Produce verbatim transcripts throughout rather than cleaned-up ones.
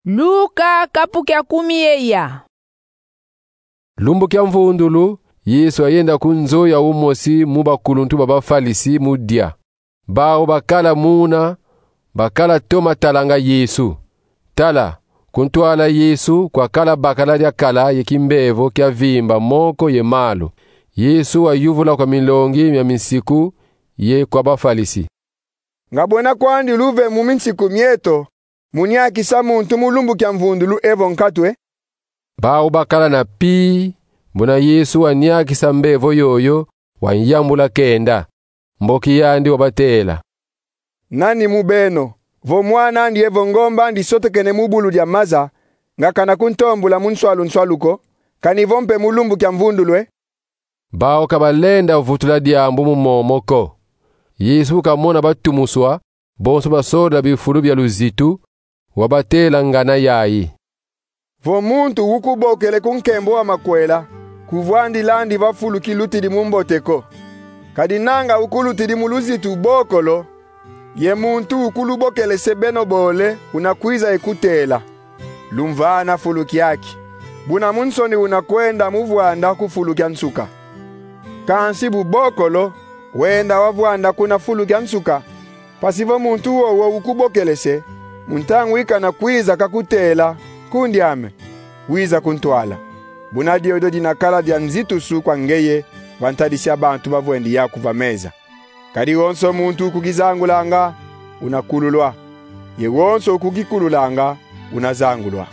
Luka kapu kia kumi ye ya. Lumbu kia mvundulu, Yesu ayenda ku nzo ya umosi mu bakuluntu ba Bafalisi mu dia. Bawu bakala muna, bakala toma talanga Yesu. Tala, ku ntwala Yesu kwakala bakala dia kala ye kimbevo kia vimba moko ye malu. Yesu wayuvula kwa milongi mia minsiku ye kwa Bafalisi: Nga bwena kwandi luve mu minsiku mieto mu niakisa muntu mu lumbu kia mvundulu evo nkatu e? Bawu bakala na pii, buna Yesu waniakisa mbevo yoyo, wanyambula kenda. Mboki yandi wabatela: Nani mu beno, vo mwan'andi evo ngomb'andi sotekene mu bulu dia maza, nga kana kuntombula mu nswalu-nswalu ko, kani vo mpe mu lumbu kia mvundulu e? Bawu ka balenda vutula diambu mu momo ko. Yesu bu kamona batumuswa, bonso basola bifulu bia luzitu, wabatela ngana yayi: Vo muntu ukubokele ku nkembo wa makwela, kuvwandil'andi va fulu kilutidi mu mbote ko. Kadi nanga ukulutidi mu luzitu bokolo, ye muntu ukulubokele se beno bole, unakwiza ye kutela: Lumvana fulu kiaki, buna mu nsoni unakwenda mu vwanda ku fulu kia nsuka. Kansi bu bokolo, wenda wavwanda kuna fulu kia nsuka, mpasi vo muntu wowo ukubokele se, mu ntangu ikana kwiza kakutela: Nkundi ame, wiza ku ntwala. Buna diodio dinakala dia nzitusu kwa ngeye va ntadisi a bantu bavwendi yaku va meza. Kadi wonso muntu ukukizangulanga, unakululwa, ye wonso ukukikululanga, unazangulwa.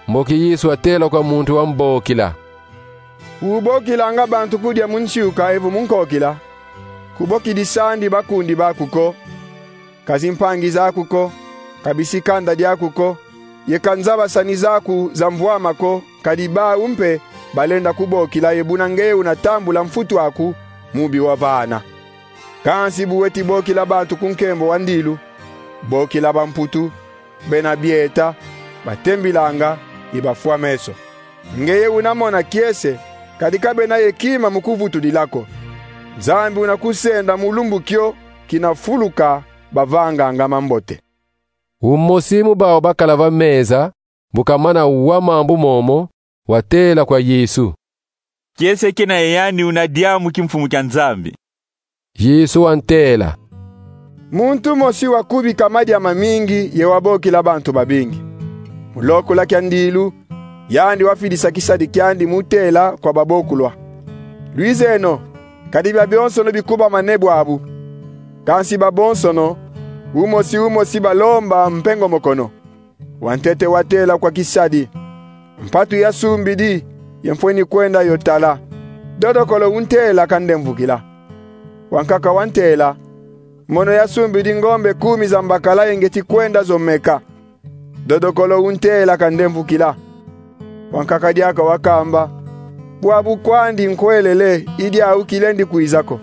Mboki Yesu atela kwa muntu wambokila: Ubokilanga bantu kudia mu nsiuka evo mu nkokila, kubokidis'andi bakundi baku ko, ka zimpangi zaku ko, ka bisikanda diaku ko, ye ka nzabasani zaku za mvwama ko, kadi bawu mpe balenda kubokila ye buna ngeye unatambula mfutu aku mu bi wavana. Kansi bu weti bokila bantu ku nkembo wa ndilu, bokila bamputu, bena bieta, batembilanga, ye bafwa meso. Ngeye unamona kiese, kadi ka bena ye kima mu kuvutudila ko. Nzambi unakusenda mu lumbu kio kina fuluka bavanganga mambote. Umosi mu bawu bakala va meza, bu kamana wa mambu momo, watela kwa Yesu: Kiese kina ye yandi una diambu ki Mfumu kia Nzambi. Yesu wantela: Muntu mosi wakubika madia mamingi ye wabokila bantu babingi. Mu lokula kia ndilu, yandi wafidisa kisadi kiandi mu tela kwa babokulwa: Lwizeno, kadi biabionsono bikubamane bwabu. Kansi babonsono, umosi umosi, balomba mpengomokono. Wantete watela kwa kisadi: Mpatu yasumbidi, ye mfweni kwenda yo tala. Dodokolo untela: Kandemvukila. Wankaka wantela: Mono yasumbidi ngombe kumi za mbakala ye ngeti kwenda zo meka. Dodokolo untela: Kandemvukila. Wankaka diaka wakamba: Bwabu kwandi nkwelele, i diau kilendi kwiza ko.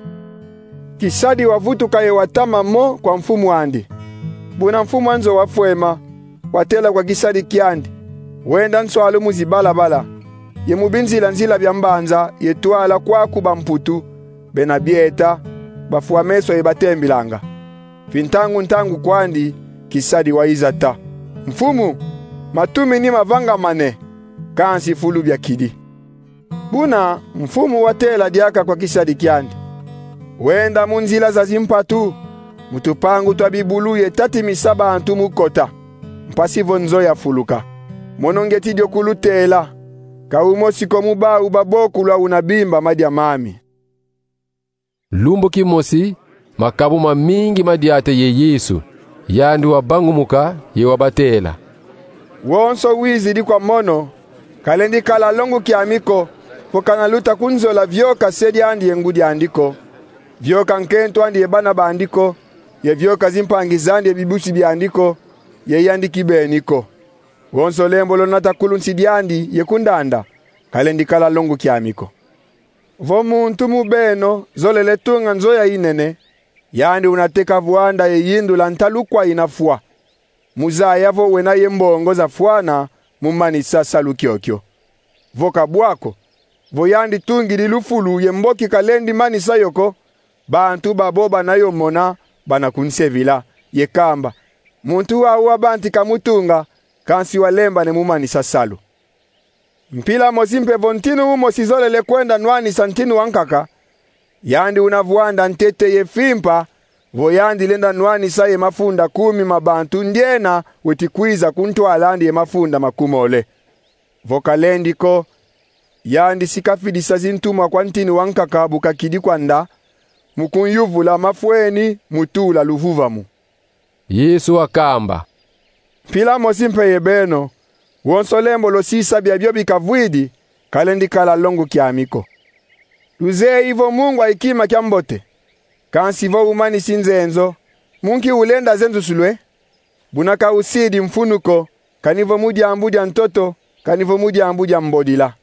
Kisadi wavutuka ye watama mo kwa mfumu andi. Buna mfumu a nzo wafwema, watela kwa kisadi kiandi: Wenda nswalu mu zibalabala, ye mu binzila-nzila bia mbanza, ye twala kwaku bamputu, bena bieta, bafwa meso ye batembilanga. Fintangu-ntangu kwandi, kisadi wayiza ta: Mfumu, matumini mavangamane, kansi fulu biakidi. Buna mfumu watela diaka kwa kisadi kiandi: Wenda mu nzila za zimpatu, mu tupangu twa bibulu ye tatimisa bantu mu kota, mpasi vo nzo yafuluka. Mono ngeti dio kulutela, ka umosi ko mu bawu babokulwa una bimba madia mami. Lumbu kimosi, makabu mamingi madiata ye Yesu, yandi wabangumuka ye wabatela: Wonso wizidi kwa mono, kalendi kala longo kiami ko, vo kana luta kunzola vioka se diandi ye ngudi andi ko, vioka nkento andi ye bana bandi ko, ye vioka zimpangi zandi ye bibusi biandi ko, ye yandi kibeni ko. Wonso lembo lonata ku lunsi diandi ye ku ndanda, kalendi kala longo kiami ko. Vo muntu mu beno zolele tunga nzo ya inene, yandi unateka vwanda ye yindula ntalu kwa ina fwa, mu zaya vo wena ye mbongo zafwana mu manisa salu kiokio. Vo ka bwa ko, vo yandi tungidi lufulu ye mboki kalendi manisa yo ko, bantu babo bana yo mona, bana kunsevila, ye kamba: Muntu wau wabantika mu tunga, kansi walembane mu manisa salu. Mpila mosi mpe vo ntinu umosi zolele kwenda nwanisa ntinu wankaka, yandi una vwanda ntete ye fimpa, vo yandi lenda nwanisa ye mafunda kumi ma bantu ndiena weti kwiza ku ntwala andi ye mafunda makumole. Vo kalendi ko, yandi si kafidisa zintumwa kwa ntinu wankaka bu kakidi kwanda, mu kunyuvula mafweni mu tula luvuvamu. Yesu wakamba: Mpila mosi mpe ye beno, wonso lembo lwasisa biabio bikavwidi, kalendi kala longo kiami ko. Luzeye vo mungwa i kima kia mbote, kansi vo umanisi nzenzo, mu nki ulenda zenzusulwe? Buna ka usidi mfunu ko, kani vo mu diambu dia ntoto, kani vo mu diambu dia mbodila.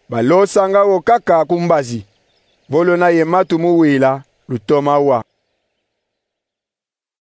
Balosanga wo kaka ku mbazi. Vo lwena ye matu mu wila, lutoma wa.